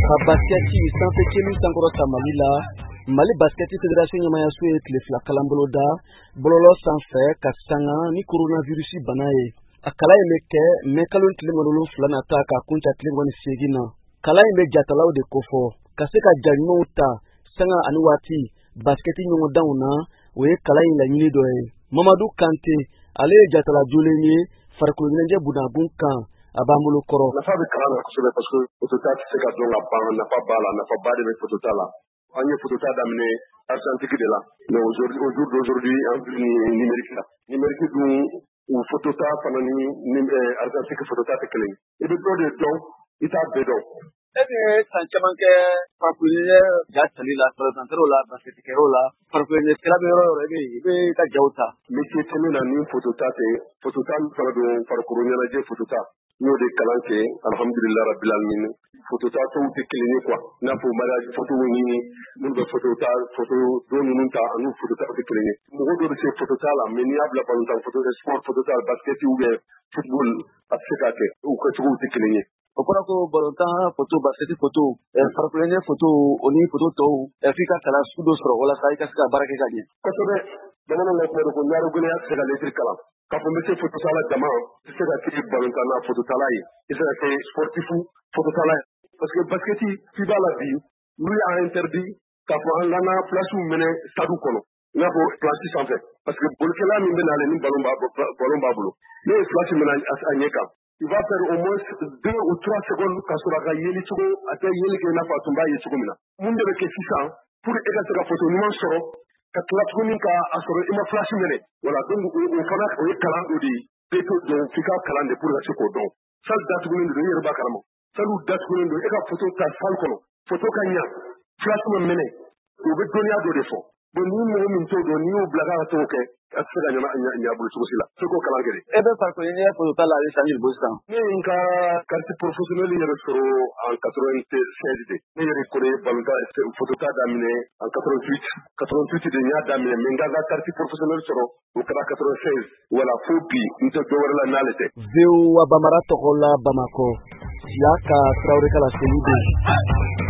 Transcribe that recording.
Ka basikɛti sanfɛ celu sankɔrɔta Mali la, Mali Basikɛti Fédération ɲɛmayaso ye tile 2 kalan boloda bɔlɔlɔ sanfɛ ka sanga ni coronavirus bana ye. A kalan in bɛ kɛ mɛ kalo tile 27 nata ka kuncɛ tile 28 na. Kalan in bɛ jatalaw de kofɔ ka se ka ja ɲumanw ta sanga ani waati basikɛti ɲɔgɔndanw na, o ye kalan in laɲini dɔ ye. Mamadu Kante, ale ye jatala jolen ye farikolo ɲɛnajɛ bunakun kan, a b'an bolo kɔrɔ. Nafa bɛ kalan na kosɛbɛ parce que fotota tɛ se ka dɔn ka ban, nafa b'a la, nafaba de bɛ fotota la. An ye fotota daminɛ argentique de la, mais au jour d'aujourd'hui an filɛ nin numérique la. Numérique dun, o fotota fana ni argentique fotota tɛ kelen ye. I bɛ dɔ de dɔn, i t'a bɛɛ dɔn. E bɛ san caman kɛ farikolo ɲɛnajɛ ja tali la, balontanw la, basikɛtikɛyɔrɔ la, farikolo ɲɛnajɛkɛla bɛ yɔrɔ o yɔrɔ, i bɛ i ka jaw ta. Métier tɛ ne na ni fotota tɛ. Fotota min fana don, farikolo ɲɛnajɛ fotota, n y'o de kalan kɛ, alhamdulilayi rabbil alamin. Fotota tɔw tɛ kelen ye quoi, i n'a fɔ mariage photo ni minnu bɛ photo ta, photo don ninnu ta, ani fotota tɛ kelen ye. Mɔgɔ dɔ bɛ se fotota la, mais n'i y'a bila balontan photo, sport fotota, basket ou bien football, a tɛ se k'a kɛ, u kɛcogow tɛ kelen ye. O kɔrɔ ko balontan photo, basket photo, farikolo ɲɛnajɛ photo, o ni photo tɔw, f'i ka kalan sugu dɔ sɔrɔ walasa i ka se ka baara kɛ ka ɲɛ. Kosɛbɛ. Bamananw ka kuma don ko ɲaro gɛlɛya tɛ se ka lɛtiri kalan. K'a fɔ n bɛ se fototala dama, i tɛ se ka kɛ balontanna fototala ye, i tɛ se ka kɛ sportif fototala ye. Parce que basket f'i b'a la bi, n'u y'a interdit k'a fɔ an kana place minɛ stade kɔnɔ, i n'a fɔ place sanfɛ. Parce que bolikɛla min bɛ n'ale ni ballon b'a bolo, n'o ye place minɛ a ɲɛ kan, il va faire au moins 2 ou 3 secondes ka sɔrɔ a ka yeli cogo, a tɛ yeli kɛ i n'a fɔ a tun b'a ye cogo min na. Mun de bɛ kɛ sisan pour e ka se ka photo ɲuman sɔrɔ, ka tila tuguni ka a sɔrɔ i ma flash minɛ? Voilà, donc o fana o ye kalan dɔ de ye. Bɛɛ t'o dɔn, f'i ka kalan de pour ka se k'o dɔn. Salle datugulen don, i yɛrɛ b'a kalama. Salle datugulen don, e ka photo ta salle kɔnɔ, photo ka ɲa, flash ma minɛ, o bɛ dɔnniya dɔ de fɔ. Bon, ni mɔgɔ min t'o dɔn, n'i y'o bila k'a ka t'o kɛ, a tɛ se ka ɲa bolo cogo si la. F'i k'o kalan kɛ de. E bɛ farikolo ɲɛnajɛ photo ta la a bɛ san joli bɔ sisan? Ne ye n ka carte professionnelle yɛrɛ sɔrɔ en 96 de. Ne yɛrɛ kɔni ye balontan photo ta daminɛ en 88. 88 de n y'a daminɛ, mais n ka carte professionnelle sɔrɔ o kɛra 96. Voilà, fo bi n tɛ dɔ wɛrɛ la n'ale tɛ. VOA Bambara tɔgɔ la Bamakɔ, Siyaka Tarawele ka laseli don.